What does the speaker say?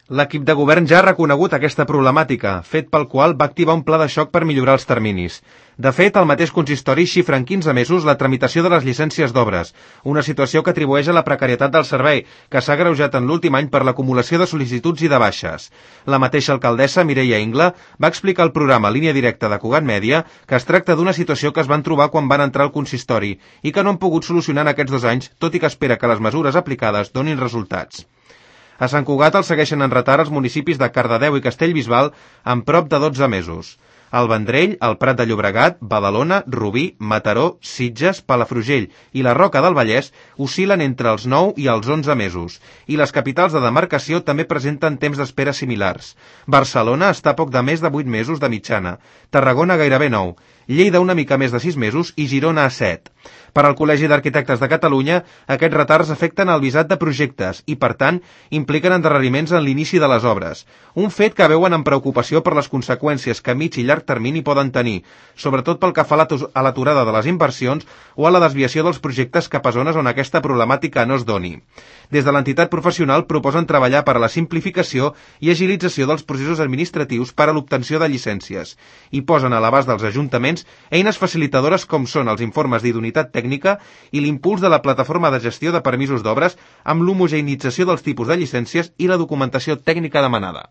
L'equip de govern ja ha reconegut aquesta problemàtica, fet pel qual va activar un pla de xoc per millorar els terminis. De fet, el mateix consistori xifra en 15 mesos la tramitació de les llicències d'obres, una situació que atribueix a la precarietat del servei, que s'ha agreujat en l'últim any per l'acumulació de sol·licituds i de baixes. La mateixa alcaldessa, Mireia Ingla, va explicar al programa Línia Directa de Cugat Mèdia que es tracta d'una situació que es van trobar quan van entrar al consistori i que no han pogut solucionar en aquests 2 anys, tot i que espera que les mesures aplicades donin resultats. A Sant Cugat el segueixen en retard els municipis de Cardedeu i Castellbisbal amb prop de 12 mesos. El Vendrell, el Prat de Llobregat, Badalona, Rubí, Mataró, Sitges, Palafrugell i la Roca del Vallès oscil·len entre els 9 i els 11 mesos, i les capitals de demarcació també presenten temps d'espera similars. Barcelona està a poc de més de 8 mesos de mitjana, Tarragona gairebé 9, Lleida una mica més de 6 mesos i Girona a 7. Per al Col·legi d'Arquitectes de Catalunya, aquests retards afecten el visat de projectes i, per tant, impliquen endarreriments en l'inici de les obres. Un fet que veuen amb preocupació per les conseqüències que a mig i llarg termini poden tenir, sobretot pel que fa a l'aturada de les inversions o a la desviació dels projectes cap a zones on aquesta problemàtica no es doni. Des de l'entitat professional proposen treballar per a la simplificació i agilització dels processos administratius per a l'obtenció de llicències i posen a l'abast dels ajuntaments eines facilitadores com són els informes d'idoneïtat tècnica i l'impuls de la plataforma de gestió de permisos d'obres amb l'homogeneïtzació dels tipus de llicències i la documentació tècnica demanada.